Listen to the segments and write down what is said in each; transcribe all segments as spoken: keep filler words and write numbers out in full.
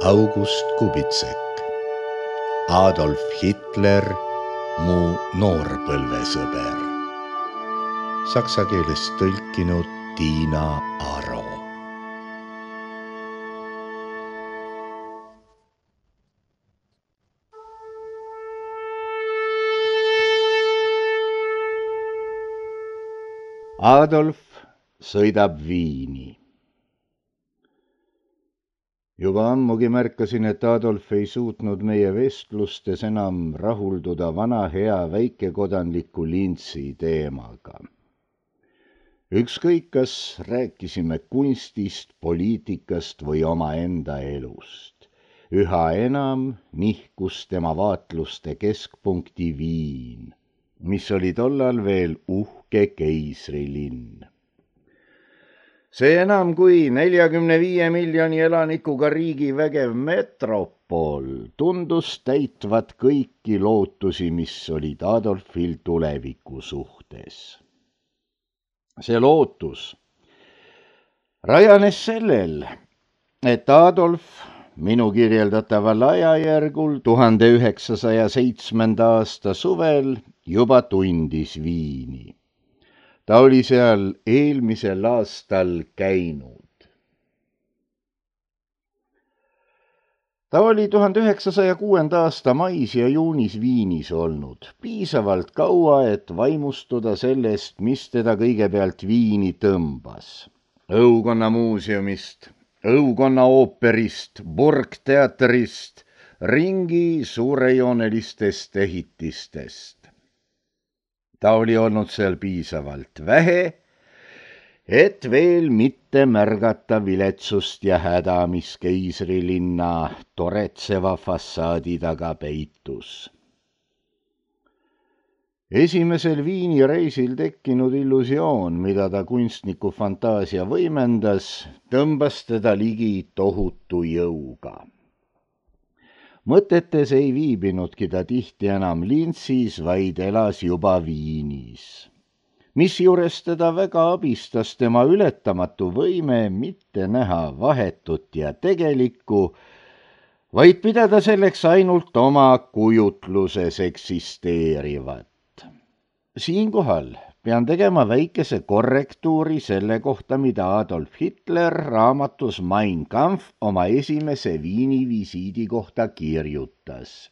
August Kubitsek, Adolf Hitler, mu noorpõlvesõber. Saksa keelest tõlkinud Tiina Aro. Adolf sõidab Viini. Juba ammugi märkasin, et Adolf ei suutnud meie vestlustes enam rahulduda vana hea väikekodanliku Lintsi teemaga. Ükskõik, kas rääkisime kunstist, poliitikast või omaenda elust. Üha enam nihkus tema vaatluste keskpunkti Viin, mis oli tollal veel uhke keisrilinn. See enam kui neljakümne viie miljoni elanikuga riigi vägev metropol tundus täitvat kõiki lootusi, mis olid Adolfil tuleviku suhtes. See lootus rajanes sellel, et Adolf minu kirjeldataval ajajärgul tuhande üheksasaja seitsmenda aasta suvel juba tundis Viini. Ta oli seal eelmisel aastal käinud. Ta oli tuhande üheksasaja kuuenda aasta mais ja juunis Viinis olnud, piisavalt kaua, et vaimustuda sellest, mis teda kõigepealt Viini tõmbas. Õukonna muuseumist, õukonna ooperist, burgteatrist, ringi suurejoonelistest ehitistest. Ta oli olnud seal piisavalt vähe, et veel mitte märgata viletsust ja häda, mis keisrilinna toretseva fassaadi taga peitus. Esimesel Viini reisil tekkinud illusioon, mida ta kunstniku fantaasia võimendas, tõmbas teda ligi tohutu jõuga. Mõtetes ei viibinudki ta tihti enam Lintsis, vaid elas juba Viinis, mis juures teda väga abistas tema ületamatu võime mitte näha vahetut ja tegelikku, vaid pidada selleks ainult oma kujutluses eksisteerivat. Siinkohal pean tegema väikese korrektuuri selle kohta, mida Adolf Hitler raamatus Mein Kampf oma esimese Viini visiidi kohta kirjutas.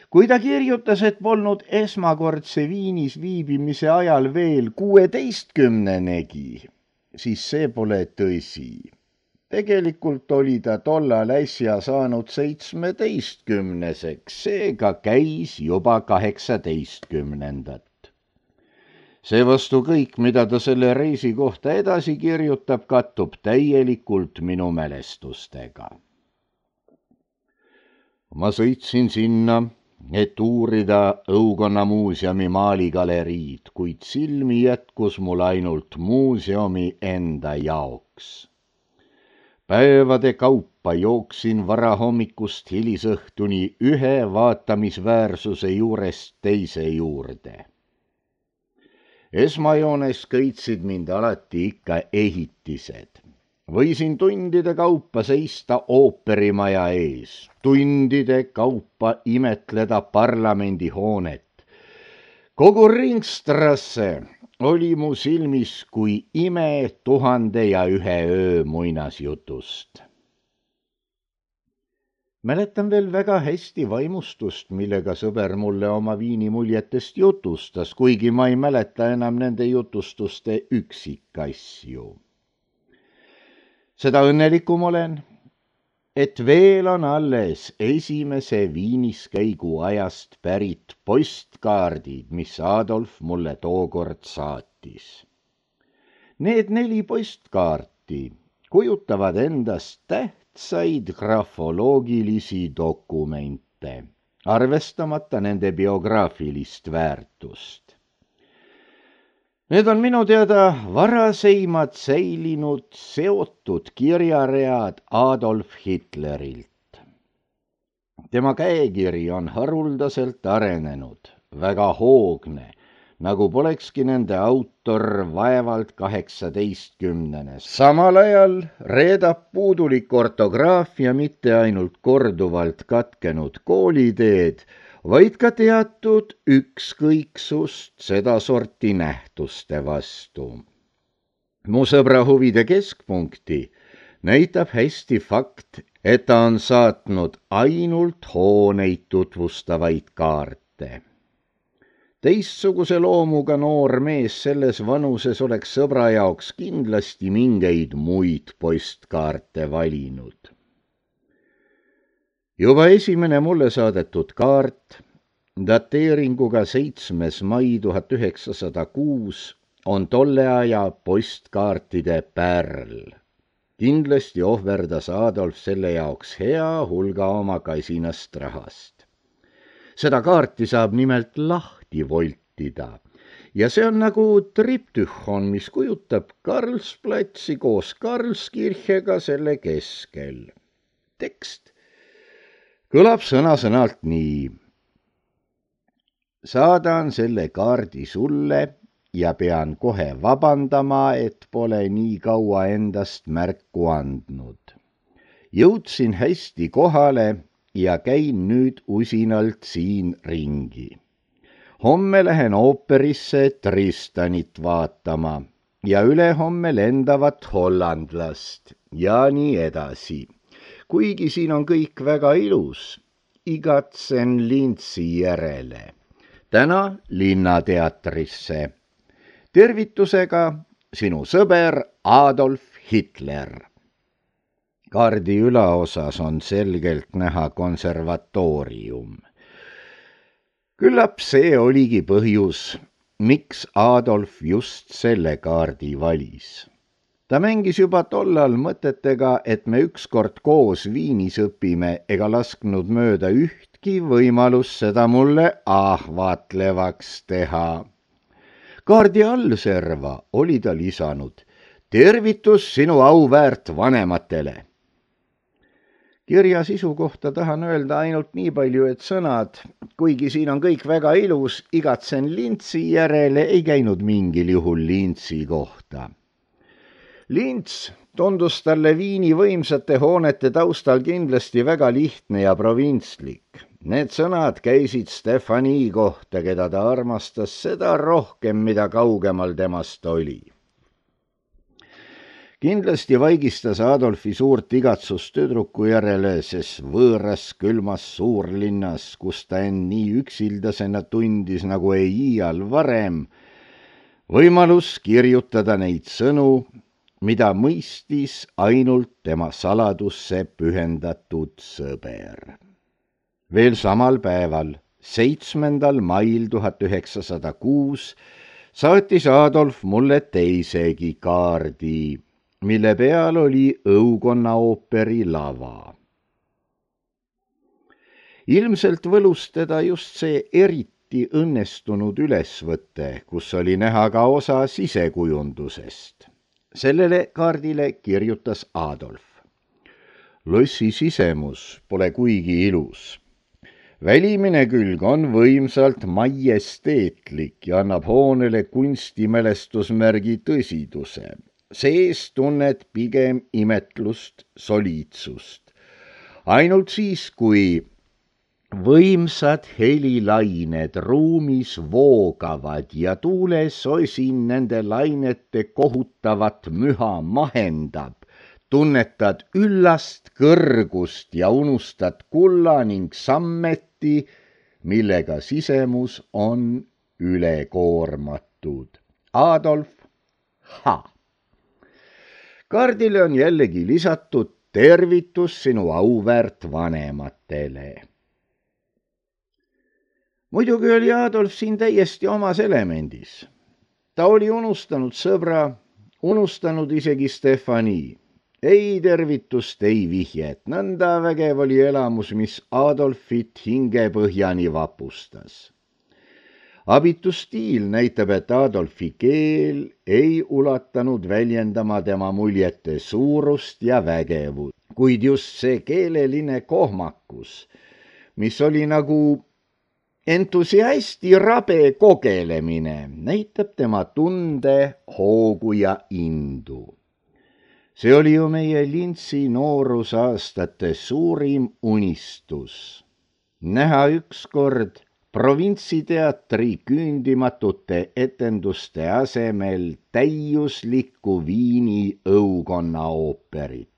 Kui ta kirjutas, et polnud esmakordse Viinis viibimise ajal veel kuueteistkümnenegi, siis see pole tõsi. Tegelikult oli ta tollal äsja saanud seitsmeteistkümneseks, seega käis juba kaheksateistkümnendat. Seevastu kõik, mida ta selle reisi kohta edasi kirjutab, kattub täielikult minu mälestustega. Ma sõitsin sinna, et uurida õukonna muuseumi maaligaleriid, kuid silmi jätkus mul ainult muuseumi enda jaoks. Päevade kaupa jooksin varahommikust hilisõhtuni ühe vaatamisväärsuse juurest teise juurde. Esmajoones kõitsid mind alati ikka ehitised. Võisin tundide kaupa seista ooperimaja ees, tundide kaupa imetleda parlamendihoonet. Kogu Ringstrasse oli mu silmis kui ime tuhande ja ühe öö muinasjutust. Mäletan veel väga hästi vaimustust, millega sõber mulle oma Viini muljetest jutustas, kuigi ma ei mäleta enam nende jutustuste üksikasju. Seda õnnelikum olen, et veel on alles esimese Viinis käigu ajast pärit postkaardid, mis Adolf mulle tookord saatis. Need neli postkaarti kujutavad endast täht said grafoloogilisi dokumente, arvestamata nende biograafilist väärtust. Need on minu teada varaseimad säilinud seotud kirjaread Adolf Hitlerilt. Tema käekiri on haruldaselt arenenud, väga hoogne, nagu polekski nende autor vaevalt kaheksateistkümnene. samal ajal reedab puudulik ortograafia mitte ainult korduvalt katkenud kooliteed, vaid ka teatud ükskõiksust sedasorti nähtuste vastu. Mu sõbra huvide keskpunkti näitab hästi fakt, et ta on saatnud ainult hooneid tutvustavaid kaarte. Teistsuguse loomuga noor mees selles vanuses oleks sõbra jaoks kindlasti mingeid muid postkaarte valinud. Juba esimene mulle saadetud kaart, dateeringuga seitsmes mai tuhat üheksasada kuus, on tolle aja postkaartide pärl. Kindlasti ohverdas Adolf selle jaoks hea hulga oma kasinast rahast. Seda kaarti saab nimelt lahti voltida ja see on nagu triptühon, mis kujutab Karlsplatsi koos Karlskirchega selle keskel. Tekst kõlab sõna-sõnalt nii. Saadan selle kaardi sulle ja pean kohe vabandama, et pole nii kaua endast märku andnud. Jõudsin hästi kohale ja käin nüüd usinalt siin ringi. Homme lähen ooperisse Tristanit vaatama ja ülehomme lendavat hollandlast ja nii edasi. Kuigi siin on kõik väga ilus, igatsen Lintsi järele. Täna Linnateatrisse. Tervitusega sinu sõber Adolf Hitler. Kaardi ülaosas on selgelt näha konservatoorium. Küllap see oligi põhjus, miks Adolf just selle kaardi valis. Ta mängis juba tollal mõtetega, et me ükskord koos Viinis õpime ega lasknud mööda ühtki võimalus seda mulle ahvatlevaks teha. Kaardi allserva oli ta lisanud, tervitus sinu auväärt vanematele. Kirja sisu kohta tahan öelda ainult nii palju, et sõnad, kuigi siin on kõik väga ilus, igatsen Lintsi järele, ei käinud mingil juhul Lintsi kohta. Lints tundus talle Viini võimsate hoonete taustal kindlasti väga lihtne ja provintslik. Need sõnad käisid Stefani kohta, keda ta armastas seda rohkem, mida kaugemal temast oli. Kindlasti vaigistas Adolfi suurt igatsust tüdruku järele, sest võõras külmas suurlinnas, kus ta end nii üksildasena tundis nagu ei iial varem, võimalus kirjutada neid sõnu, mida mõistis ainult tema saladusse pühendatud sõber. Veel samal päeval, seitsmendal mail tuhat üheksasada kuus, saatis Adolf mulle teisegi kaardi, mille peal oli Õukonna ooperi lava. Ilmselt võlus teda just see eriti õnnestunud ülesvõte, kus oli näha ka osa sisekujundusest. Sellele kaardile kirjutas Adolf. Lossi sisemus pole kuigi ilus. Välimine külg on võimsalt majesteetlik ja annab hoonele kunstimälestusmärgi tõsiduse. Sees tunned pigem imetlust, soliidsust. Ainult siis, kui võimsad helilained ruumis voogavad ja tuulesosin nende lainete kohutavat müha mahendab, tunnetad üllast kõrgust ja unustad kulla ning sammeti, millega sisemus on ülekoormatud. Adolf H. Kaardile on jällegi lisatud tervitus sinu auväärt vanematele. Muidugi oli Adolf siin täiesti omas elemendis. Ta oli unustanud sõbra, unustanud isegi Stefani. Ei tervitust, ei vihjet, nõnda vägev oli elamus, mis Adolfit hingepõhjani vapustas. Abitu stiil näitab, et Adolfi keel ei ulatanud väljendama tema muljete suurust ja vägevust, kuid just see keeleline kohmakus, mis oli nagu entusiasti rabe kogelemine näitab tema tunde, hoogu ja indu. See oli ju meie Lintsi noorusaastate suurim unistus. Näha ükskord provintsiteatri küündimatute etenduste asemel täiuslikku Viini õukonna ooperit.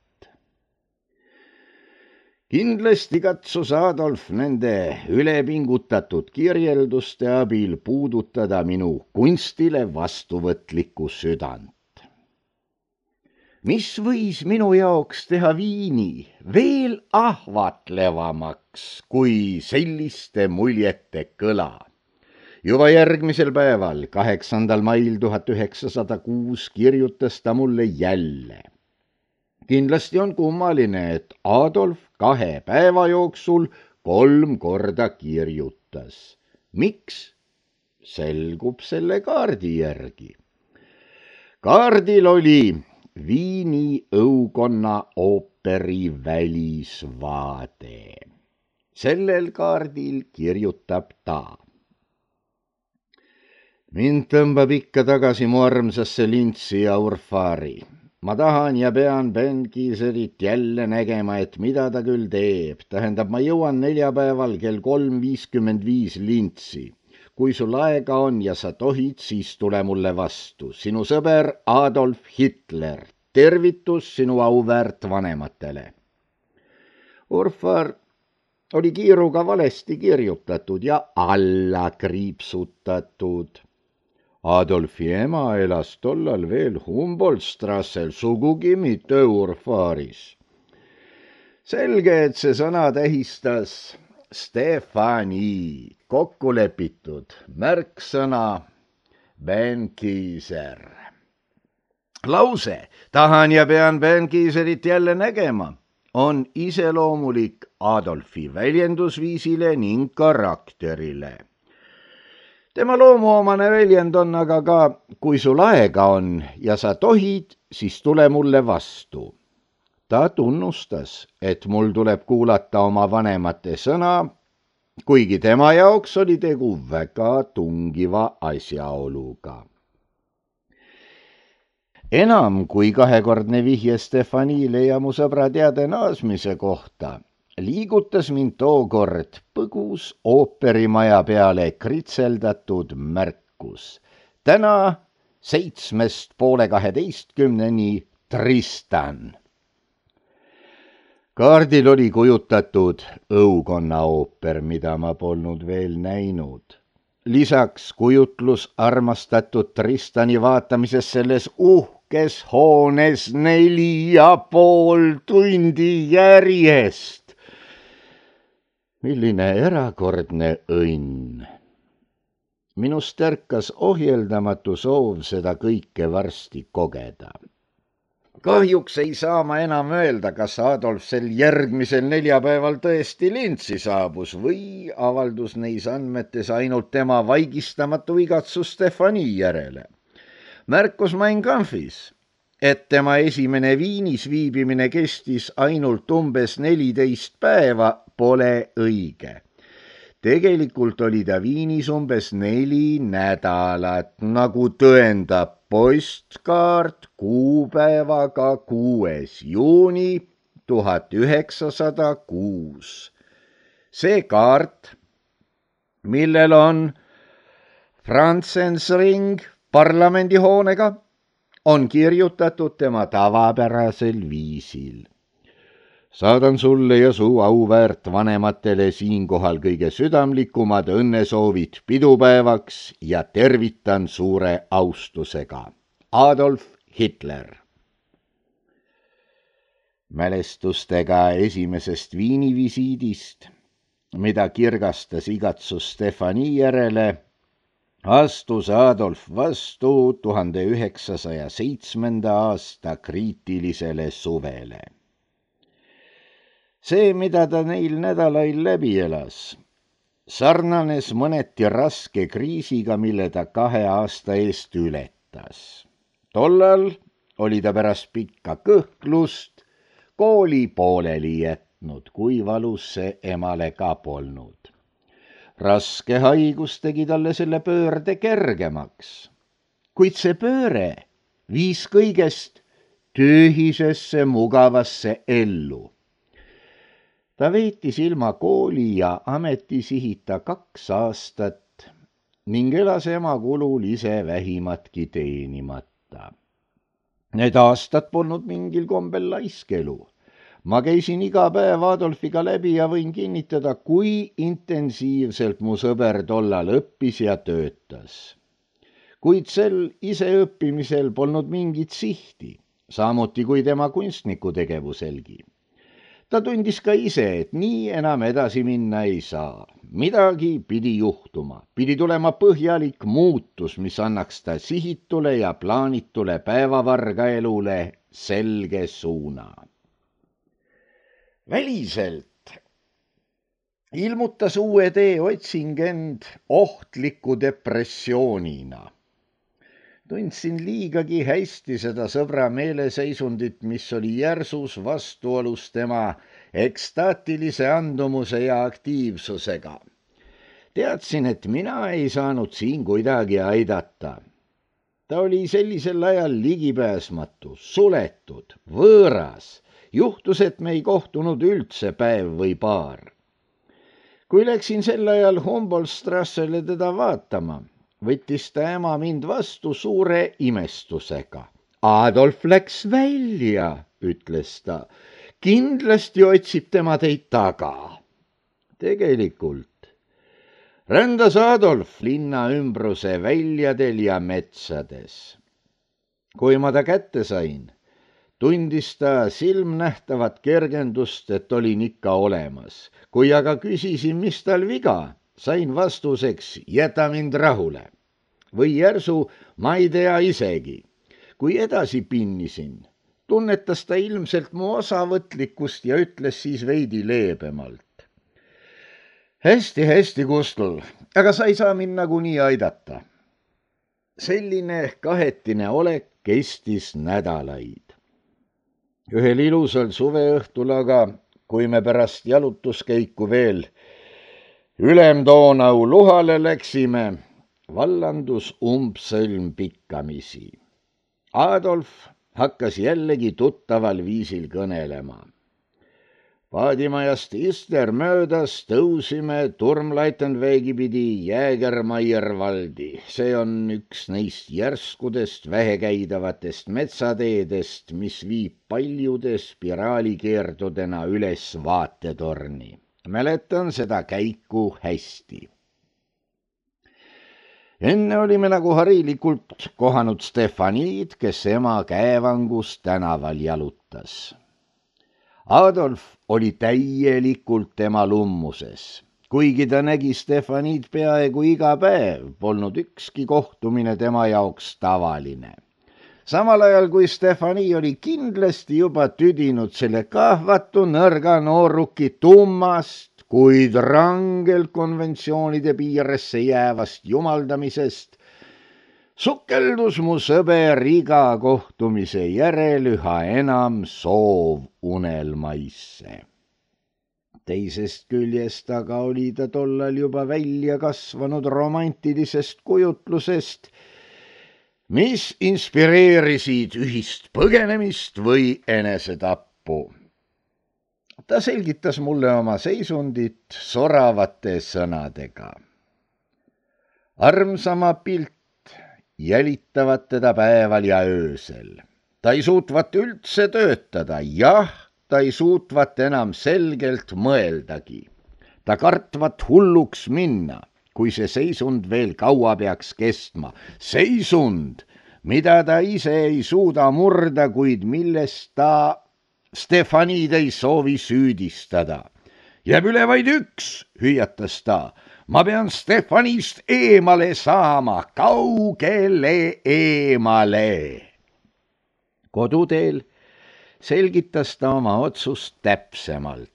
Kindlasti katsus Adolf nende ülepingutatud kirjelduste abil puudutada minu kunstile vastuvõtlikku südant. Mis võis minu jaoks teha Viini veel ahvatlevamaks kui selliste muljete kõla? Juba järgmisel päeval, kaheksandal mail tuhat üheksasada kuus kirjutas ta mulle jälle. Kindlasti on kummaline, et Adolf kahe päeva jooksul kolm korda kirjutas. Miks? Selgub selle kaardi järgi. Kaardil oli Viini õukonna ooperi välisvaade. Sellel kaardil kirjutab ta. Mind tõmbab ikka tagasi mu armsasse Lintsi ja Urfari. Ma tahan ja pean Ben Kiiserit jälle nägema, et mida ta küll teeb. Tähendab, ma jõuan neljapäeval kell kolm viiskümmend viis Lintsi. Kui sul aega on ja sa tohid, siis tule mulle vastu. Sinu sõber Adolf Hitler. Tervitus sinu auväärt vanematele. Urfar oli kiiruga valesti kirjutatud ja alla kriipsutatud. Adolfi ema elas tollal veel Humboldt-strassel, sugugi mitte Urfaris. Selge, et see sõna tähistas Stefani, kokku lepitud märksõna Ben Kiiser. Lause, tahan ja pean Ben Kiiserit jälle nägema, on iseloomulik Adolfi väljendusviisile ning karakterile. Tema loomuomane väljend on aga ka, kui sul aega on ja sa tohid, siis tule mulle vastu. Ta tunnustas, et mul tuleb kuulata oma vanemate sõna, kuigi tema jaoks oli tegu väga tungiva asjaoluga. Enam kui kahekordne vihje Stefanile ja mu sõbra teade naasmise kohta liigutas mind tookord põgus ooperimaja peale kritseldatud märkus. Täna seitsmest poole kaheteistkümneni Tristan. Kaardil oli kujutatud õukonna ooper, mida ma polnud veel näinud. Lisaks kujutlus armastatud Tristani vaatamises selles uhkes hoones neli ja pool tundi järjest. Milline erakordne õnn. Minust ärkas ohjeldamatu soov seda kõike varsti kogeda. Kahjuks ei saa ma enam öelda, kas Adolf sel järgmisel neljapäeval tõesti Lintsi saabus või avaldus neis andmetes ainult tema vaigistamatu igatsus Stefani järele. Märkus Mein Kampfis, et tema esimene Viinis viibimine kestis ainult umbes neliteist päeva, pole õige. Tegelikult oli ta Viinis umbes neli nädalat, nagu tõendab postkaart kuupäevaga kuues juuni tuhat üheksasada kuus. See kaart, millel on Franzensring parlamendihoonega, on kirjutatud tema tavapärasel viisil. Saadan sulle ja su auväärt vanematele siinkohal kõige südamlikumad õnnesoovid pidupäevaks ja tervitan suure austusega. Adolf Hitler. Mälestustega esimesest Viini visiidist, mida kirgastas igatsus Stefani järele, astus Adolf vastu tuhande üheksasaja seitsmenda aasta kriitilisele suvele. See, mida ta neil nädalail läbi elas, sarnanes mõneti raske kriisiga, mille ta kahe aasta eest ületas. Tollal oli ta pärast pikka kõhklust kooli pooleli jätnud, kui valus see emale ka polnud. Raske haigus tegi talle selle pöörde kergemaks, kuid see pööre viis kõigest tühisesse mugavasse ellu. Ta veetis ilma kooli ja ametisihita kaks aastat ning elas ema kulul ise vähimatki teenimata. Need aastad polnud mingil kombel laiskelu. Ma käisin iga päev Adolfiga läbi ja võin kinnitada, kui intensiivselt mu sõber tollal õppis ja töötas. Kuid sel iseõppimisel polnud mingit sihti, samuti kui tema kunstnikutegevuselgi. Ta tundis ka ise, et nii enam edasi minna ei saa. Midagi pidi juhtuma, pidi tulema põhjalik muutus, mis annaks ta sihitule ja plaanitule päevavarga elule selge suuna. Väliselt ilmutas uue tee otsing end ohtliku depressioonina. Tundsin liigagi hästi seda sõbra meeleseisundit, mis oli järsus vastuolus tema ekstaatilise andumuse ja aktiivsusega. Teadsin, et mina ei saanud siin kuidagi aidata. Ta oli sellisel ajal ligipääsmatu, suletud, võõras. Juhtus, et me ei kohtunud üldse päev või paar. Kui läksin sel ajal Humboldt-Strassele teda vaatama, võttis ta ema mind vastu suure imestusega. Adolf läks välja, ütles ta. Kindlasti otsib tema teid taga. Tegelikult rändas Adolf linna ümbruse väljadel ja metsades. Kui ma ta kätte sain, tundis ta silmnähtavat kergendust, et olin ikka olemas. Kui aga küsisin, mis tal viga, sain vastuseks, jäta mind rahule. Või järsu, ma ei tea isegi. Kui edasi pinnisin, tunnetas ta ilmselt mu osavõtlikkust ja ütles siis veidi leebemalt. Hästi, hästi, Kustul, aga sa ei saa mind nagunii aidata. Selline kahetine olek kestis nädalaid. Ühel ilusal suveõhtul aga, kui me pärast jalutuskäiku veel Ülemdoonau luhale läksime, vallandus umbsõlm pikkamisi. Adolf hakkas jällegi tuttaval viisil kõnelema. Paadimajast Ister möödas tõusime Turmleitenveegi pidi Jäägermeiervaldi. See on üks neist järskudest vähekäidavatest metsateedest, mis viib paljude spiraalikeerdudena üles vaatetorni. Mäletan seda käiku hästi. Enne olime nagu harilikult kohanud Stefaniid, kes ema käevangus tänaval jalutas. Adolf oli täielikult tema lummuses. Kuigi ta nägi Stefaniid peaaegu iga päev, polnud ükski kohtumine tema jaoks tavaline. Samal ajal kui Stefani oli kindlasti juba tüdinud selle kahvatu nõrga nooruki tummast, kuid rangelt konventsioonide piiresse jäävast jumaldamisest, sukeldus mu sõber iga kohtumise järel üha enam soov unelmaisse. Teisest küljest aga oli ta tollal juba välja kasvanud romantilisest kujutlusest, mis inspireerisid ühist põgenemist või enesetappu. Ta selgitas mulle oma seisundit soravate sõnadega. Armsama pilt jälitavad teda päeval ja öösel. Ta ei suutvat üldse töötada, jah, ta ei suutvat enam selgelt mõeldagi. Ta kartvat hulluks minna, kui see seisund veel kaua peaks kestma. Seisund, mida ta ise ei suuda murda, kuid millest ta Stefaniid ei soovi süüdistada. Jääb üle vaid üks, hüüatas ta. Ma pean Stefanist eemale saama, kaugele eemale. Koduteel selgitas ta oma otsust täpsemalt.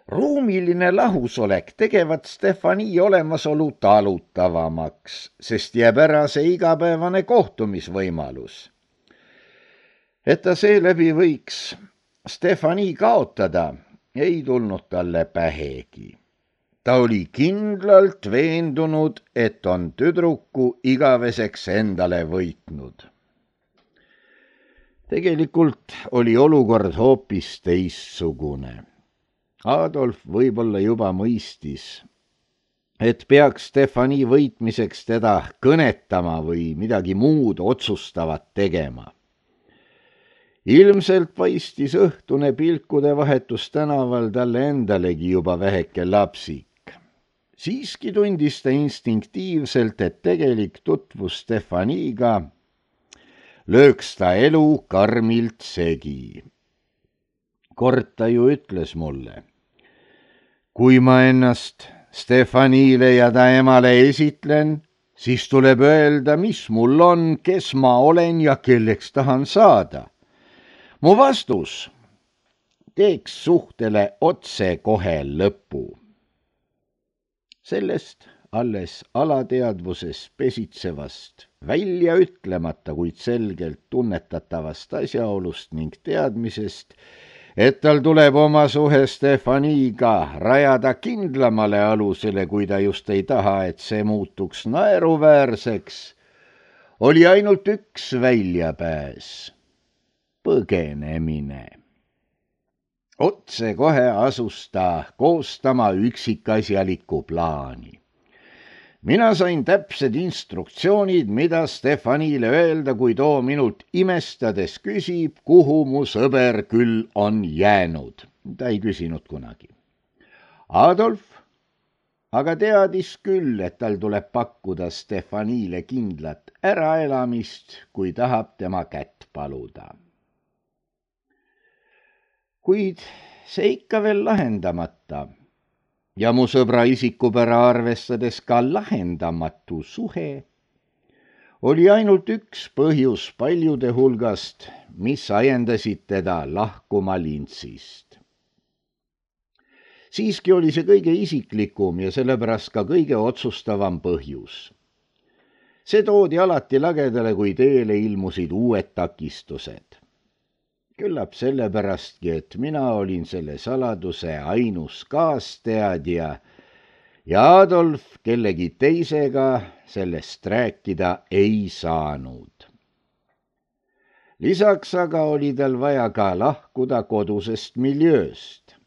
Ruumiline lahusolek tegevat Stefani olemasolu talutavamaks, sest jääb ära see igapäevane kohtumisvõimalus. Et ta seeläbi võiks Stefani kaotada, ei tulnud talle pähegi. Ta oli kindlalt veendunud, et on tüdruku igaveseks endale võitnud. Tegelikult oli olukord hoopis teistsugune. Adolf võib-olla juba mõistis, et peaks Stefani võitmiseks teda kõnetama või midagi muud otsustavat tegema. Ilmselt paistis õhtune pilkude vahetus tänaval talle endalegi juba väheke lapsik. Siiski tundis ta instinktiivselt, et tegelik tutvus Stefaniga lööks ta elu karmilt segi. Kord ta ju ütles mulle, kui ma ennast Stefanile ja ta emale esitlen, siis tuleb öelda, mis mul on, kes ma olen ja kelleks tahan saada. Mu vastus teeks suhtele otse kohe lõpu. Sellest alles alateadvuses pesitsevast, välja ütlemata, kuid selgelt tunnetatavast asjaolust ning teadmisest, et tal tuleb oma suhe Stefaniga rajada kindlamale alusele, kui ta just ei taha, et see muutuks naeruväärseks, oli ainult üks väljapääs, põgenemine. Otse kohe asus ta koostama üksikasjalikku plaani. Mina sain täpsed instruktsioonid, mida Stefanile öelda, kui too minult imestades küsib, kuhu mu sõber küll on jäänud. Ta ei küsinud kunagi. Adolf aga teadis küll, et tal tuleb pakkuda Stefanile kindlat äraelamist, kui tahab tema kätt paluda. Kuid see ikka veel lahendamata ja mu sõbra isikupära arvestades ka lahendamatu suhe oli ainult üks põhjus paljude hulgast, mis ajendasid teda lahkuma Lintsist. Siiski oli see kõige isiklikum ja sellepärast ka kõige otsustavam põhjus. See toodi alati lagedale, kui teele ilmusid uued takistused. Küllap sellepästki, et mina olin selle saladuse ainus kaasteadja ja Adolf kellegi teisega sellest rääkida ei saanud. Lisaks aga oli tal vaja ka lahkuda kodusest miljööst.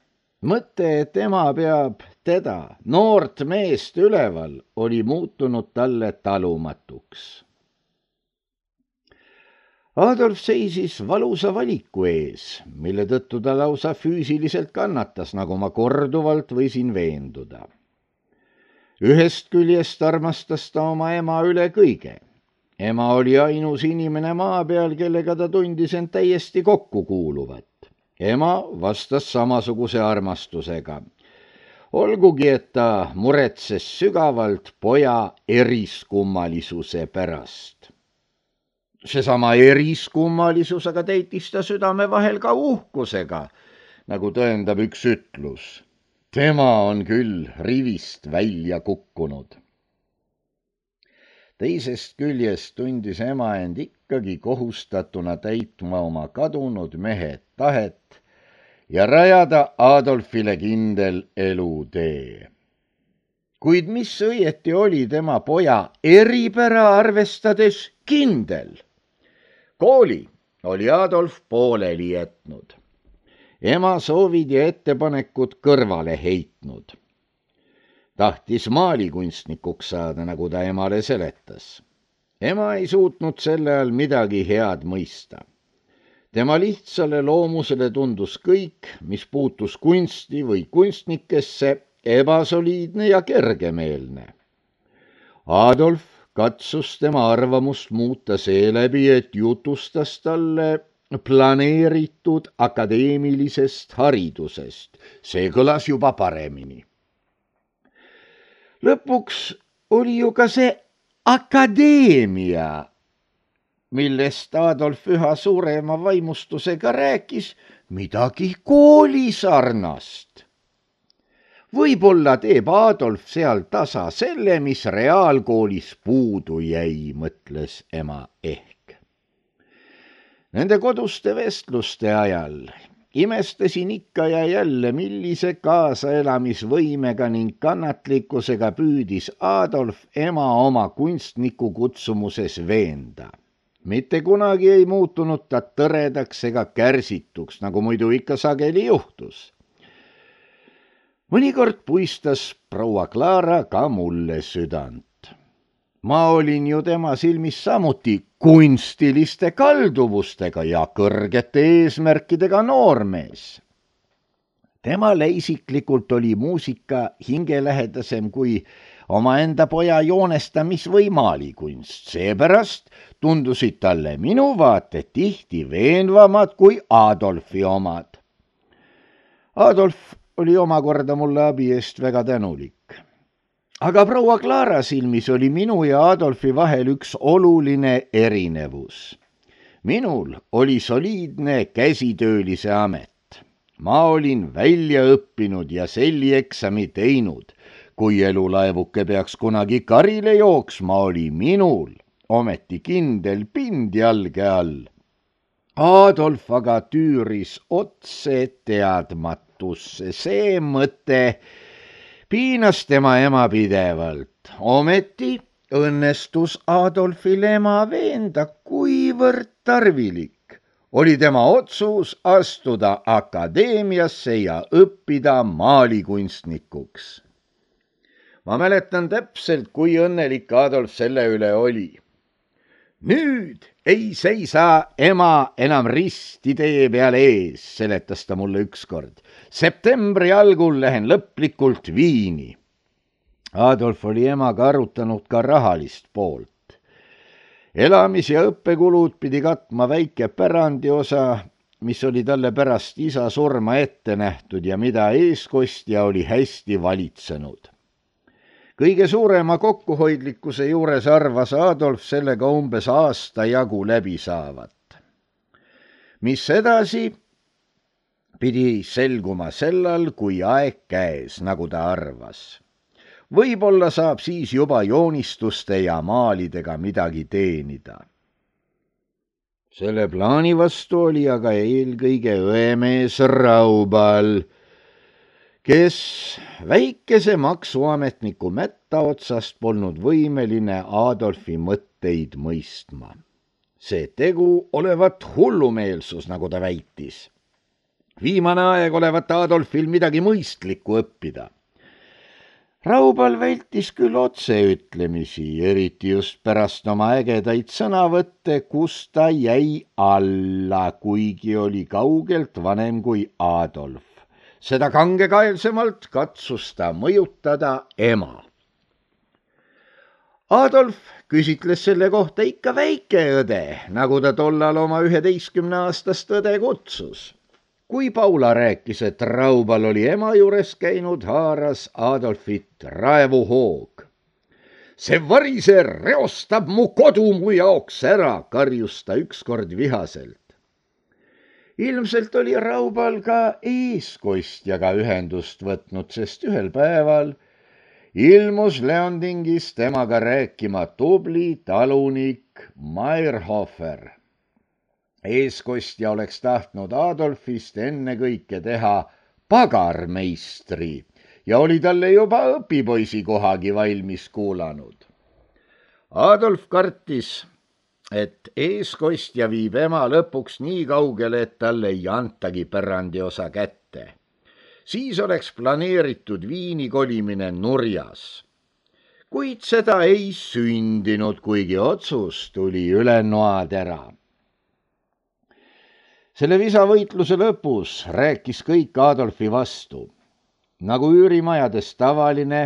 Mõte, et ema peab teda, noort meest üleval, oli muutunud talle talumatuks. Adolf seisis valusa valiku ees, mille tõttu ta lausa füüsiliselt kannatas, nagu ma korduvalt võisin veenduda. Ühest küljest armastas ta oma ema üle kõige. Ema oli ainus inimene maa peal, kellega ta tundis end täiesti kokku kuuluvat. Ema vastas samasuguse armastusega. Olgugi, et ta muretses sügavalt poja eriskummalisuse pärast. Seesama eriskummalisus aga täitis ta südame vahel ka uhkusega, nagu tõendab üks ütlus. Tema on küll rivist välja kukkunud. Teisest küljest tundis ema end ikkagi kohustatuna täitma oma kadunud mehe tahet ja rajada Adolfile kindel elutee. Kuid mis õieti oli tema poja eripära arvestades kindel? Kooli oli Adolf pooleli jätnud. Ema soovid ja ettepanekud kõrvale heitnud. Tahtis maalikunstnikuks saada, nagu ta emale seletas. Ema ei suutnud selle all midagi head mõista. Tema lihtsale loomusele tundus kõik, mis puutus kunsti või kunstnikesse, ebasoliidne ja kergemeelne. Adolf katsus tema arvamust muuta seeläbi, et jutustas talle planeeritud akadeemilisest haridusest. See kõlas juba paremini. Lõpuks oli ju ka see akadeemia, millest Adolf üha suurema vaimustusega rääkis, midagi koolisarnast. Võib-olla teeb Adolf seal tasa selle, mis reaalkoolis puudu jäi, mõtles ema ehk. Nende koduste vestluste ajal imestasin ikka ja jälle, millise kaasaelamisvõimega ning kannatlikkusega püüdis Adolf ema oma kunstniku kutsumuses veenda. Mitte kunagi ei muutunud ta tõredaks ega kärsituks, nagu muidu ikka sageli juhtus. Mõnikord puistas proua Clara ka mulle südant. Ma olin ju tema silmis samuti kunstiliste kalduvustega ja kõrgete eesmärkidega noormees. Temale isiklikult oli muusika hingelähedasem kui omaenda poja joonestamis- või maalikunst. Seepärast tundusid talle minu vaated tihti veenvamad kui Adolfi omad. Adolf oli omakorda mulle abi eest väga tänulik. Aga proua Clara silmis oli minu ja Adolfi vahel üks oluline erinevus. Minul oli soliidne käsitöölise amet. Ma olin välja õppinud ja sellieksami teinud. Kui elulaevuke peaks kunagi karile jooksma, oli minul ometi kindel pind jalge all. Adolf aga tüüris otse teadmatusse. See mõte piinas tema ema pidevalt. Ometi õnnestus Adolfil ema veenda, kuivõrd tarvilik oli tema otsus astuda akadeemiasse ja õppida maalikunstnikuks. Ma mäletan täpselt, kui õnnelik Adolf selle üle oli. Nüüd ei seisa ema enam risti tee peal ees, seletas ta mulle ükskord. Septembri algul lähen lõplikult Viini. Adolf oli emaga arutanud ka rahalist poolt. Elamis- ja õppekulud pidi katma väike pärandiosa, mis oli talle pärast isa surma ette nähtud ja mida eeskostja oli hästi valitsenud. Kõige suurema kokkuhoidlikkuse juures arvas Adolf sellega umbes aasta jagu läbi saavat. Mis edasi pidi selguma sellal, kui aeg käes, nagu ta arvas. Võib-olla saab siis juba joonistuste ja maalidega midagi teenida. Selle plaani vastu oli aga eelkõige õemees Raubal, kes väikese maksuametniku mätta otsast polnud võimeline Adolfi mõtteid mõistma. See tegu olevat hullumeelsus, nagu ta väitis. Viimane aeg olevat Adolfil midagi mõistlikku õppida. Raubal vältis küll otseütlemisi, eriti just pärast oma ägedaid sõnavõtte, kus ta jäi alla, kuigi oli kaugelt vanem kui Adolf. Seda kangekaelsemalt katsus ta mõjutada ema. Adolf küsitles selle kohta ikka väikeõde, nagu ta tollal oma üheteistkümneaastast õde kutsus. Kui Paula rääkis, et Raubal oli ema juures käinud, haaras Adolfit raevuhoog. See varise reostab mu kodu mu jaoks ära, karjus ta ükskord vihaselt. Ilmselt oli Raubal ka eeskostjaga ühendust võtnud, sest ühel päeval ilmus Leondingis temaga rääkima tubli talunik Mayrhofer. Eeskostja oleks tahtnud Adolfist ennekõike teha pagarmeistri ja oli talle juba õpipoisi kohagi valmis kuulanud. Adolf kartis, et eeskostja viib ema lõpuks nii kaugele, et talle ei antagi pärandiosa kätte. Siis oleks planeeritud Viini kolimine nurjas. Kuid seda ei sündinud, kuigi otsus tuli üle noatera. Selle visavõitluse lõpus rääkis kõik Adolfi vastu. Nagu üürimajades tavaline,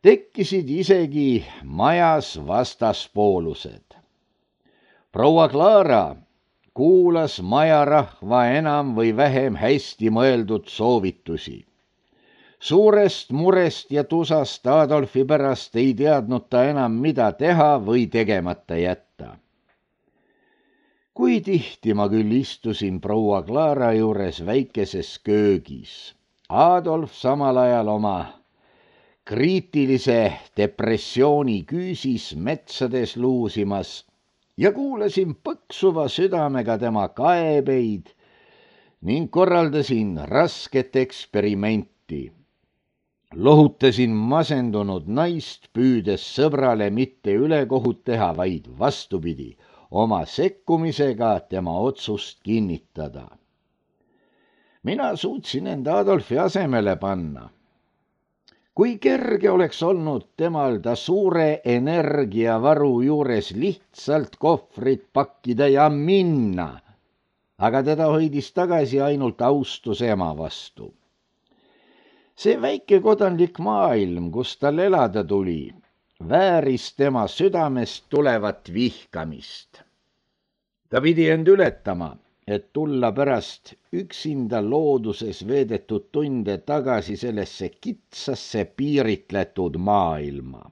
tekkisid isegi majas vastaspoolused. Proua Clara kuulas majarahva enam või vähem hästi mõeldud soovitusi. Suurest murest ja tusast Adolfi pärast ei teadnud ta enam, mida teha või tegemata jätta. Kui tihti ma küll istusin proua Clara juures väikeses köögis. Adolf samal ajal oma kriitilise depressiooni küüsis metsades luusimas ja kuulasin põksuva südamega tema kaebeid ning korraldasin rasket eksperimenti. Lohutasin masendunud naist, püüdes sõbrale mitte ülekohut teha, vaid vastupidi, oma sekkumisega tema otsust kinnitada. Mina suutsin enda Adolfi asemele panna. Kui kerge oleks olnud temal ta suure energiavaru juures lihtsalt kohvrit pakkida ja minna, aga teda hoidis tagasi ainult austus ema vastu. See väike kodanlik maailm, kus tal elada tuli, vääris tema südamest tulevat vihkamist. Ta pidi end ületama, et tulla pärast üksinda looduses veedetud tunde tagasi sellesse kitsasse piiritletud maailma.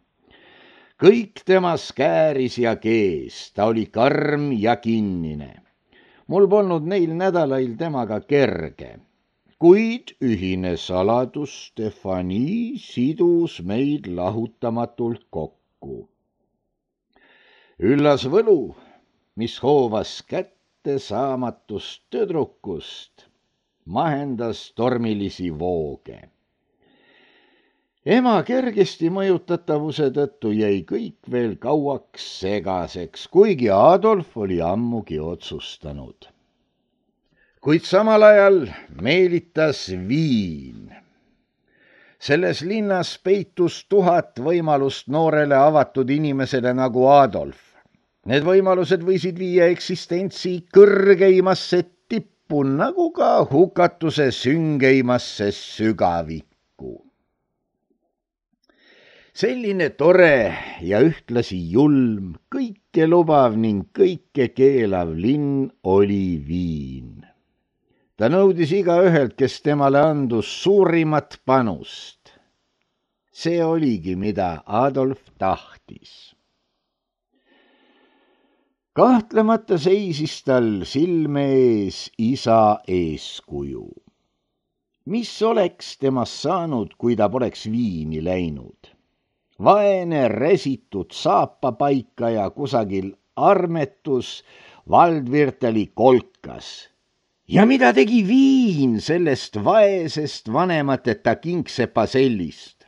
Kõik temas kääris ja kees, ta oli karm ja kinnine. Mul polnud neil nädalail temaga kerge. Kuid ühine saladus Stefani sidus meid lahutamatult kokku. Üllas võlu, mis hoovas kätte saamatust tüdrukust, mahendas tormilisi vooge. Ema kergesti mõjutatavuse tõttu jäi kõik veel kauaks segaseks, kuigi Adolf oli ammugi otsustanud. Kuid samal ajal meelitas viin. Selles linnas peitus tuhat võimalust noorele avatud inimesele nagu Adolf. Need võimalused võisid viia eksistentsi kõrgeimasse tippu, nagu ka hukatuse süngeimasse sügavikku. Selline tore ja ühtlasi julm, kõike lubav ning kõike keelav linn oli Viin. Ta nõudis igaühelt, kes temale andus suurimat panust. See oligi, mida Adolf tahtis. Kahtlemata seisis tal silme ees isa eeskuju. Mis oleks temast saanud, kui ta poleks Viini läinud? Vaene resitud saapapaika ja kusagil armetus Valdvirteli kolkas. Ja mida tegi Viin sellest vaesest vanemateta kingsepa sellist?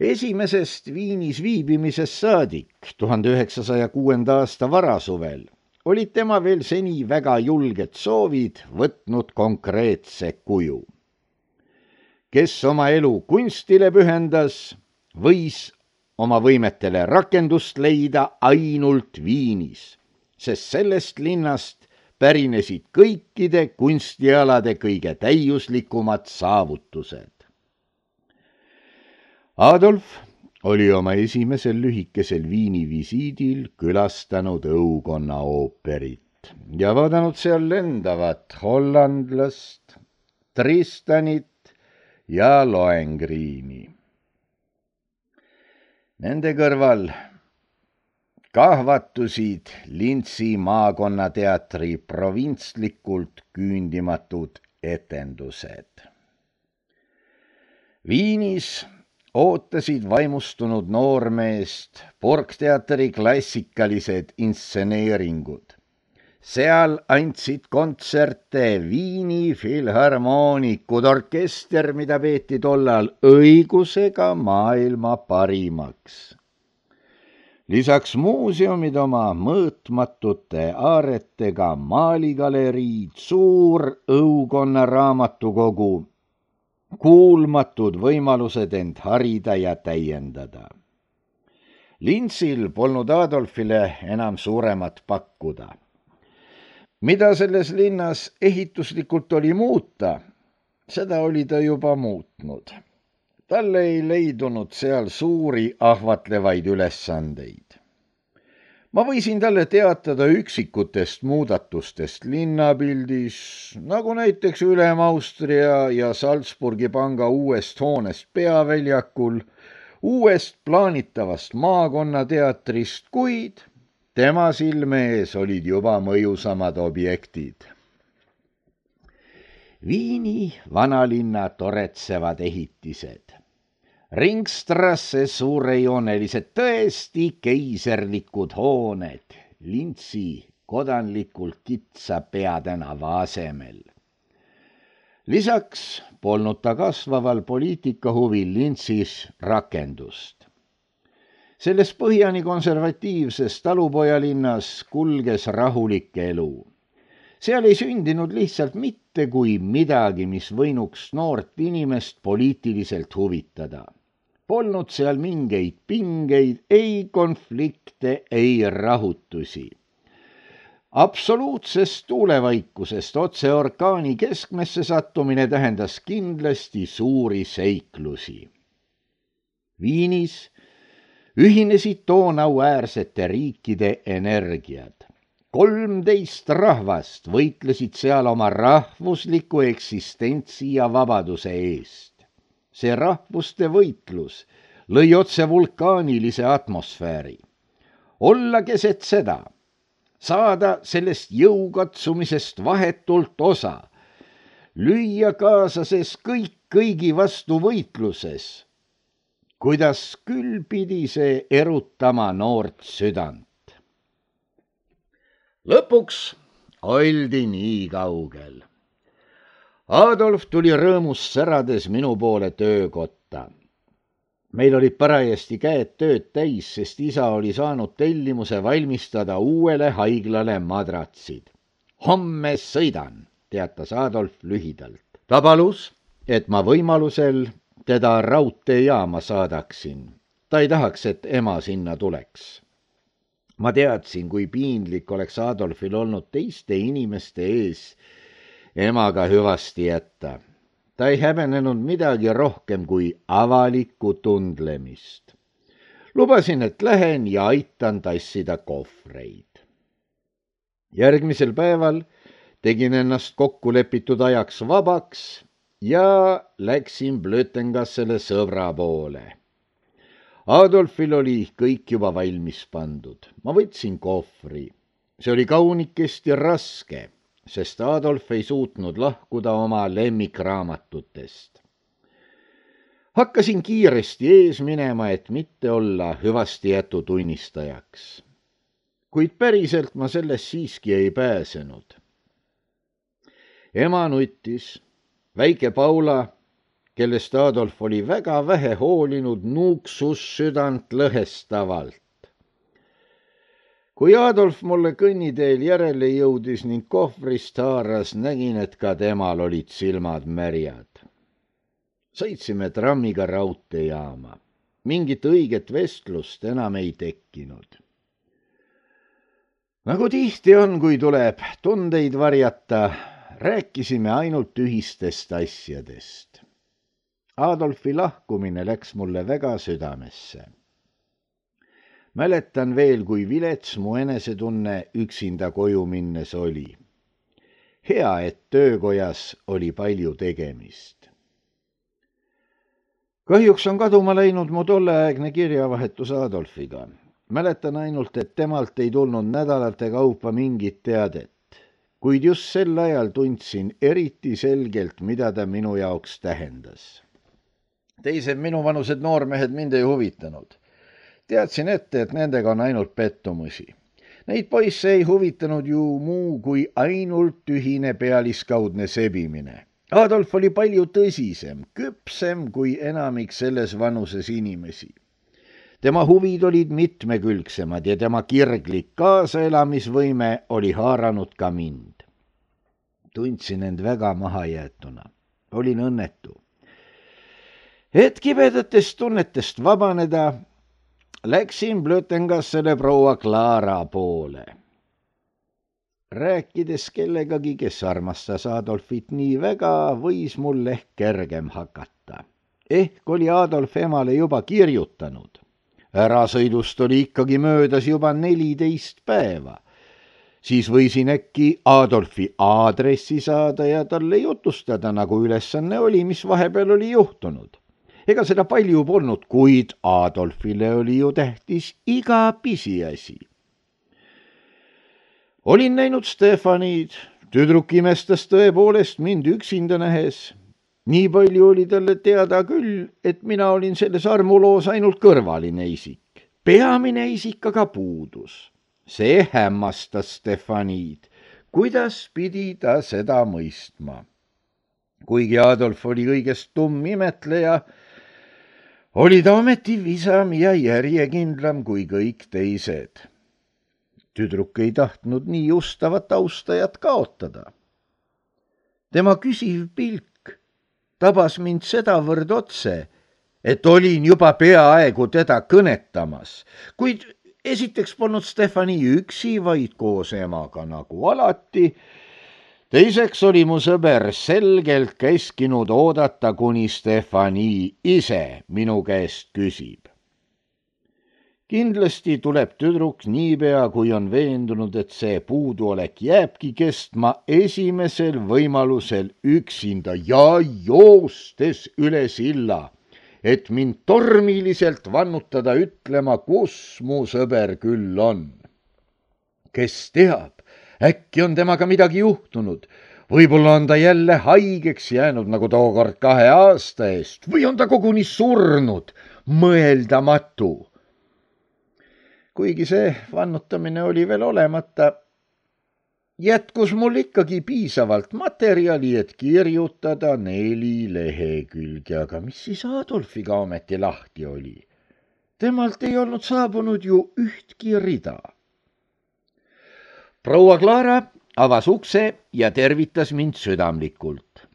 Esimesest Viinis viibimisest saadik tuhande üheksasaja kuuenda aasta varasuvel olid tema veel seni väga julged soovid võtnud konkreetse kuju. Kes oma elu kunstile pühendas, võis oma võimetele rakendust leida ainult Viinis, sest sellest linnast pärinesid kõikide kunstialade kõige täiuslikumad saavutused. Adolf oli oma esimesel lühikesel Viini visiidil külastanud õukonna ooperit ja vaadanud seal lendavat hollandlast, Tristanit ja Lohengriini. Nende kõrval kahvatusid Lintsi maakonnateatri provintslikult küündimatud etendused. Viinis ootasid vaimustunud noormeest Burgteatri klassikalised instseneeringud. Seal andsid kontserte Viini filharmoonikud, orkester, mida peeti tollal õigusega maailma parimaks. Lisaks muuseumid oma mõõtmatute aaretega, maaligaleriid, suur õukonna raamatukogu, kuulmatud võimalused end harida ja täiendada. Lintsil polnud Adolfile enam suuremat pakkuda. Mida selles linnas ehituslikult oli muuta, seda oli ta juba muutnud. Talle ei leidunud seal suuri ahvatlevaid ülesandeid. Ma võisin talle teatada üksikutest muudatustest linnapildis, nagu näiteks Ülem-Austria ja Salzburgi panga uuest hoonest peaväljakul, uuest plaanitavast maakonnateatrist, kuid tema silme ees olid juba mõjusamad objektid. Viini vanalinna toretsevad ehitised. Ringstrasse suurejoonelised tõesti keiserlikud hooned, Lintsi kodanlikult kitsa peatänava asemel. Lisaks polnud ta kasvaval poliitikahuvil Linzis rakendust. Selles põhjani konservatiivses talupojalinnas kulges rahulik elu. Seal ei sündinud lihtsalt mitte kui midagi, mis võinuks noort inimest poliitiliselt huvitada. Polnud seal mingeid pingeid, ei konflikte, ei rahutusi. Absoluutsest tuulevaikusest otse orkaani keskmesse sattumine tähendas kindlasti suuri seiklusi. Viinis ühinesid toonauäärsete riikide energiad. kolmteist rahvast võitlesid seal oma rahvusliku eksistentsi ja vabaduse eest. See rahvuste võitlus lõi otse vulkaanilise atmosfääri. Olla keset seda, saada sellest jõukatsumisest vahetult osa, lüüa kaasases kõik kõigi vastu võitluses. Kuidas küll pidi see erutama noort südant. Lõpuks oldi nii kaugel. Adolf tuli rõõmus särades minu poole töökotta. Meil olid parajasti käed tööd täis, sest isa oli saanud tellimuse valmistada uuele haiglale madratsid. Homme sõidan, teatas Adolf lühidalt. Ta palus, et ma võimalusel teda raudteejaama saadaksin. Ta ei tahaks, et ema sinna tuleks. Ma teadsin, kui piinlik oleks Adolfil olnud teiste inimeste ees emaga hüvasti jätta. Ta ei häbenenud midagi rohkem kui avalikku tundlemist. Lubasin, et lähen ja aitan tassida kohvreid. Järgmisel päeval tegin ennast kokkulepitud ajaks vabaks ja läksin Blötengassele sõbra poole. Adolfil oli kõik juba valmis pandud. Ma võtsin kohvri. See oli kaunikesti raske, sest Adolf ei suutnud lahkuda oma lemmikraamatutest. Hakkasin kiiresti ees minema, et mitte olla hüvasti jätu tunnistajaks. Kuid päriselt ma sellest siiski ei pääsenud. Ema nuttis. Väike Paula, kellest Adolf oli väga vähe hoolinud, nuuksus südant lõhestavalt. Kui Adolf mulle kõnniteel järele jõudis ning kohvrist haaras, nägin, et ka temal olid silmad märjad. Sõitsime trammiga raudteejaama. Mingit õiget vestlust enam ei tekkinud. Nagu tihti on, kui tuleb tundeid varjata, rääkisime ainult ühistest asjadest. Adolfi lahkumine läks mulle väga südamesse. Mäletan veel, kui vilets mu enesetunne üksinda koju minnes oli. Hea, et töökojas oli palju tegemist. Kahjuks on kaduma läinud mu tolleaegne kirjavahetus Adolfiga. Mäletan ainult, et temalt ei tulnud nädalate kaupa mingit teadet. Kuid just sel ajal tundsin eriti selgelt, mida ta minu jaoks tähendas. Teised minuvanused noormehed mind ei huvitanud. Teadsin ette, et nendega on ainult pettumusi. Neid poisse ei huvitanud ju muu kui ainult ühine pealiskaudne sebimine. Adolf oli palju tõsisem, küpsem kui enamik selles vanuses inimesi. Tema huvid olid mitmekülgsemad ja tema kirglik kaasaelamisvõime oli haaranud ka mind. Tundsin end väga mahajäetuna. Olin õnnetu. Et kibedatest tunnetest vabaneda, läksin Blötengassele proua Clara poole. Rääkides kellegagi, kes armastas Adolfit nii väga, võis mul ehk kergem hakata. Ehk oli Adolf emale juba kirjutanud. Ärasõidust oli ikkagi möödas juba neliteist päeva. Siis võisin äkki Adolfi aadressi saada ja talle jutustada, nagu ülesanne oli, mis vahepeal oli juhtunud. Ega seda palju polnud, kuid Adolfile oli ju tähtis iga pisiasi. Olin näinud Stefanid, tüdruk imestas tõepoolest mind üksinda nähes. Nii palju oli talle teada küll, et mina olin selles armuloos ainult kõrvaline isik. Peamine isik aga puudus. see hämmastas Stefaniid, kuidas pidi ta seda mõistma. Kuigi Adolf oli kõigest tumm imetleja, oli ta ometi visam ja järjekindlam kui kõik teised. Tüdruk ei tahtnud nii ustavat austajat kaotada. Tema küsiv pilk tabas mind sedavõrd otse, et olin juba peaaegu teda kõnetamas, kuid esiteks polnud Stefani üksi, vaid koos emaga nagu alati. Teiseks oli mu sõber selgelt käskinud oodata, kuni Stefani ise minu käest küsib. Kindlasti tuleb tüdruk niipea, kui on veendunud, et see puuduolek jääbki kestma esimesel võimalusel üksinda ja joostes üle silla, et mind tormiliselt vannutada ütlema, kus mu sõber küll on. Kes teab, äkki on temaga midagi juhtunud, võib-olla on ta jälle haigeks jäänud nagu tookord kahe aasta eest või on ta koguni surnud, mõeldamatu. Kuigi see vannutamine oli veel olemata, jätkus mul ikkagi piisavalt materjali, et kirjutada neli lehekülge, aga mis siis Adolfiga ometi lahti oli? Temalt ei olnud saabunud ju ühtki rida. Proua Clara avas ukse ja tervitas mind südamlikult.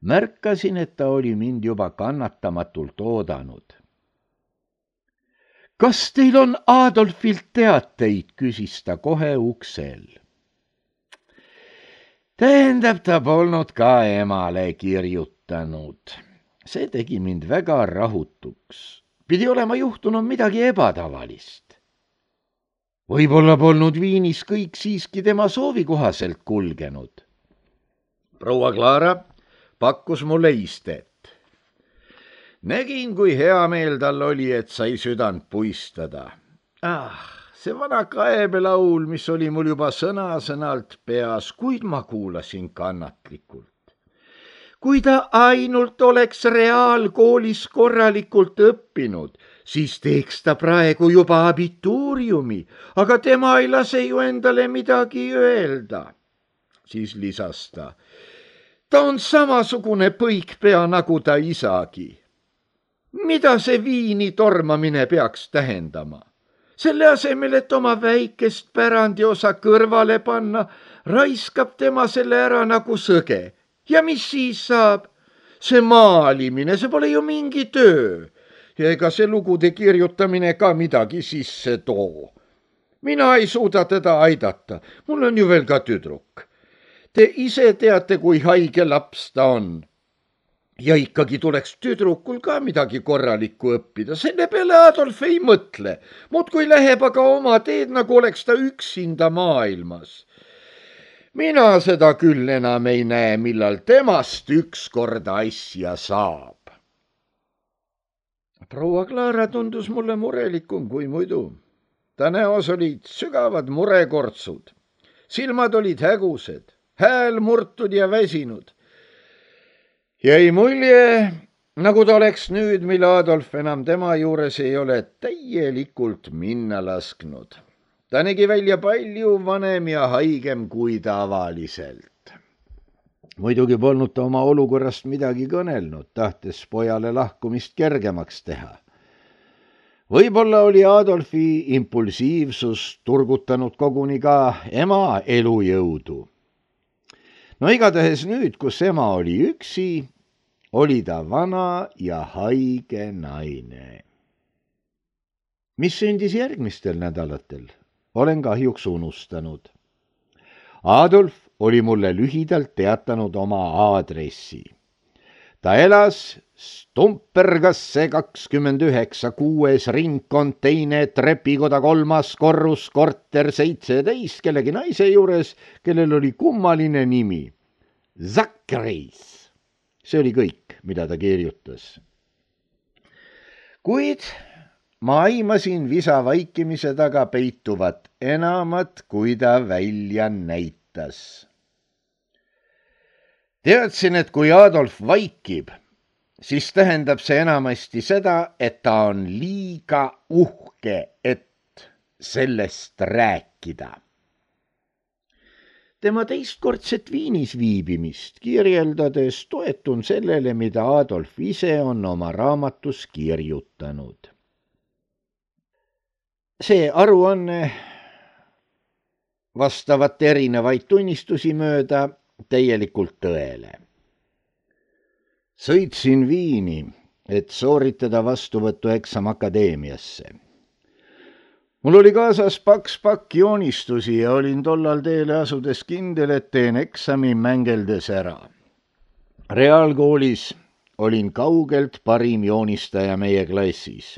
Märkasin, et ta oli mind juba kannatamatult oodanud. Kas teil on Adolfilt teateid, küsis ta kohe uksel. Tähendab, ta polnud ka emale kirjutanud. See tegi mind väga rahutuks. Pidi olema juhtunud midagi ebatavalist. Võib-olla polnud Viinis kõik siiski tema soovi kohaselt kulgenud. Proua Clara pakkus mulle istet. Nägin, kui hea meel tal oli, et sai südant puistada. Ah, see vana kaebelaul, mis oli mul juba sõna-sõnalt peas, kuid ma kuulasin kannatlikult. Kui ta ainult oleks reaalkoolis korralikult õppinud, siis teeks ta praegu juba abituuriumi, aga tema ei lase ju endale midagi öelda. Siis lisas ta. Ta on samasugune põikpea nagu ta isagi. Mida see Viini tormamine peaks tähendama? Selle asemel, et oma väikest pärandiosa kõrvale panna, raiskab tema selle ära nagu sõge. Ja mis siis saab? See maalimine, see pole ju mingi töö. Ja ega see lugude kirjutamine ka midagi sisse too. Mina ei suuda teda aidata. Mul on ju veel ka tüdruk. Te ise teate, kui haige laps ta on. Ja ikkagi tuleks tüdrukul ka midagi korralikku õppida. Selle peale Adolf ei mõtle. Muud kui läheb aga oma teed, nagu oleks ta üksinda maailmas. Mina seda küll enam ei näe, millal temast ükskord asja saab. Proua Clara tundus mulle murelikum kui muidu. Ta näos olid sügavad murekortsud. Silmad olid hägused, hääl murtud ja väsinud. Jäi mulje, nagu ta oleks nüüd, mil Adolf enam tema juures ei ole täielikult minna lasknud. Ta nägi välja palju vanem ja haigem kui tavaliselt. Muidugi polnud ta oma olukorrast midagi kõnelnud, tahtes pojale lahkumist kergemaks teha. Võib-olla oli Adolfi impulsiivsus turgutanud koguni ka ema elujõudu. No igatahes nüüd, kus ema oli üksi, oli ta vana ja haige naine. Mis sündis järgmistel nädalatel, olen kahjuks unustanud. Adolf oli mulle lühidalt teatanud oma aadressi. Ta elas Stumpergasse kakskümmend üheksa kuues ringkond teine trepikoda kolmas korrus korter seitseteist kellegi naise juures, kellel oli kummaline nimi. Zakreis. See oli kõik, mida ta kirjutas. Kuid ma aimasin visa vaikimise taga peituvat enamat, kui ta välja näitas. Teadsin, et kui Adolf vaikib, siis tähendab see enamasti seda, et ta on liiga uhke, et sellest rääkida. Tema teistkordset Viinis viibimist kirjeldades toetun sellele, mida Adolf ise on oma raamatus kirjutanud. See aruanne vastavat erinevaid tunnistusi mööda täielikult tõele. Sõitsin Viini, et sooritada vastuvõtueksam akadeemiasse. Mul oli kaasas paks pakk joonistusi ja olin tollal teele asudes kindel, et teen eksami mängeldes ära. Reaalkoolis olin kaugelt parim joonistaja meie klassis.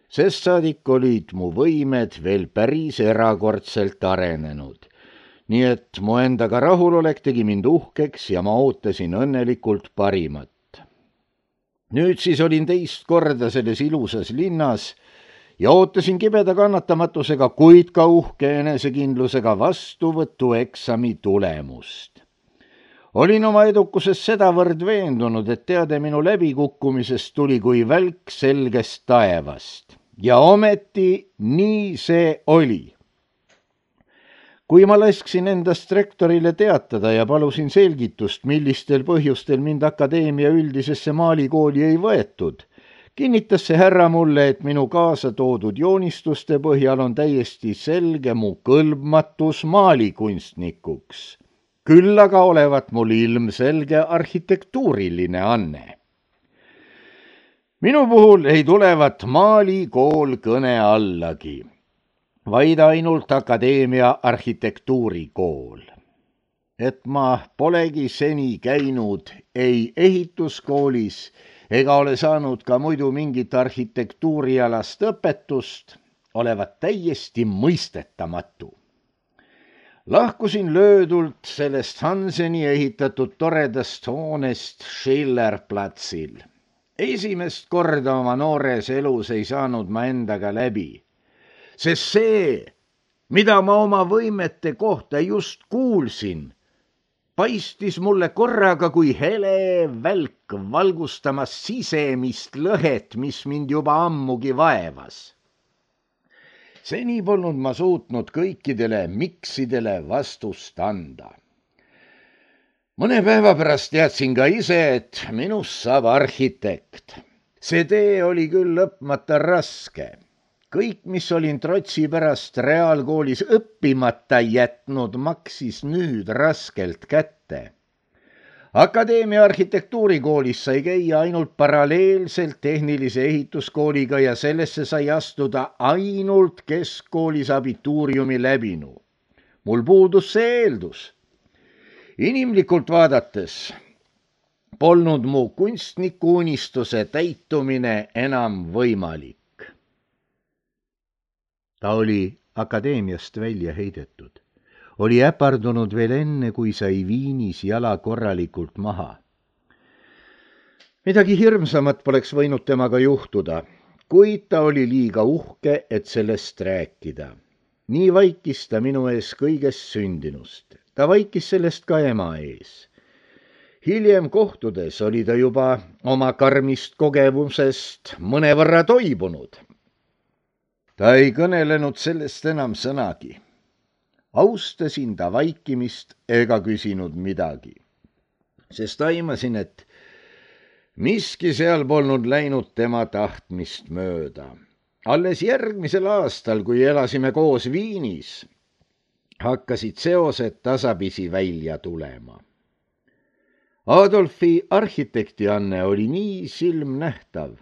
Sest saadik olid mu võimed veel päris erakordselt arenenud. Nii et mu endaga rahulolek tegi mind uhkeks ja ma ootasin õnnelikult parimat. Nüüd siis olin teist korda selles ilusas linnas ja ootasin kibeda kannatamatusega, kuid ka uhke enesekindlusega vastuvõtueksami tulemust. Olin oma edukuses sedavõrd veendunud, et teade minu läbikukkumisest tuli kui välk selgest taevast. Ja ometi nii see oli. Kui ma lasksin endast rektorile teatada ja palusin selgitust, millistel põhjustel mind akadeemia üldisesse maalikooli ei võetud, kinnitas see härra mulle, et minu kaasa toodud joonistuste põhjal on täiesti selge mu kõlbmatus maalikunstnikuks. Küll aga olevat mul ilmselge arhitektuuriline anne. Minu puhul ei tulevat maalikool kõne allagi, vaid ainult akadeemia arhitektuurikool. Et ma polegi seni käinud ei ehituskoolis ega ole saanud ka muidu mingit arhitektuurialast õpetust, olevat täiesti mõistetamatu. Lahkusin löödult sellest Hanseni ehitatud toredast hoonest Schillerplatsil. Esimest korda oma noores elus ei saanud ma endaga läbi, sest see, mida ma oma võimete kohta just kuulsin, paistis mulle korraga kui hele välk valgustamas sisemist lõhet, mis mind juba ammugi vaevas. Seni polnud ma suutnud kõikidele miksidele vastust anda. Mõne päeva pärast teadsin ka ise, et minust saab arhitekt. See tee oli küll lõpmata raske. Kõik, mis olin trotsi pärast reaalkoolis õppimata jätnud, maksis nüüd raskelt kätte. Akadeemia arhitektuurikoolis sai käia ainult paralleelselt tehnilise ehituskooliga ja sellesse sai astuda ainult keskkoolis abituuriumi läbinu. Mul puudus see eeldus. Inimlikult vaadates polnud mu kunstniku unistuse täitumine enam võimalik. Ta oli akadeemiast välja heidetud. Oli äpardunud veel enne, kui sai Viinis jala korralikult maha. Midagi hirmsamat poleks võinud temaga juhtuda, kuid ta oli liiga uhke, et sellest rääkida. Nii vaikis ta minu ees kõigest sündinust. Ta vaikis sellest ka ema ees. Hiljem kohtudes oli ta juba oma karmist kogemusest mõnevõrra toibunud. Ta ei kõnelenud sellest enam sõnagi. Austasin ta vaikimist ega küsinud midagi, sest aimasin, et miski seal polnud läinud tema tahtmist mööda. Alles järgmisel aastal, kui elasime koos Viinis, hakkasid seosed tasapisi välja tulema. Adolfi arhitektianne oli nii silmnähtav,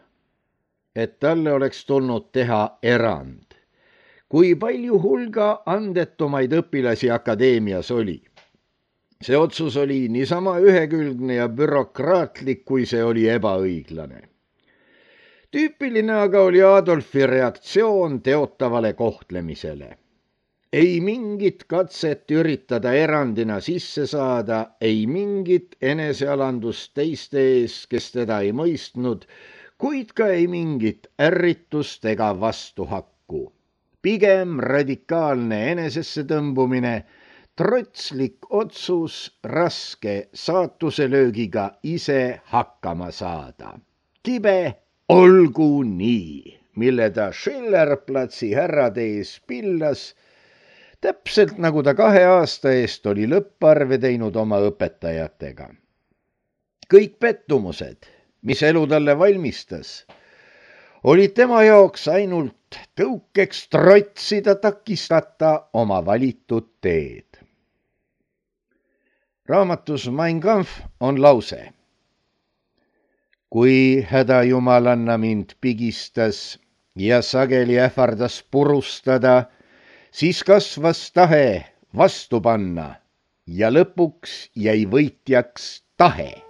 et talle oleks tulnud teha erand. Kui palju hulga andetumaid õpilasi akadeemias oli. See otsus oli niisama ühekülgne ja bürokraatlik, kui see oli ebaõiglane. Tüüpiline aga oli Adolfi reaktsioon teotavale kohtlemisele. Ei mingit katset üritada erandina sisse saada, ei mingit enesealandust teiste ees, kes teda ei mõistnud, kuid ka ei mingit ärritust ega vastuhakku. Pigem radikaalne enesesse tõmbumine, trotslik otsus raske saatuselöögiga ise hakkama saada. Kibe olgu nii. mille ta Schillerplatsi härrade ees pillas, täpselt nagu ta kahe aasta eest oli lõpparve teinud oma õpetajatega. Kõik pettumused, mis elu talle valmistas, olid tema jaoks ainult tõukeks trotsida takistata oma valitud teed. Raamatus Mein Kampf on lause. Kui hädajumalanna mind pigistas ja sageli ähvardas purustada, siis kasvas tahe vastu panna ja lõpuks jäi võitjaks tahe.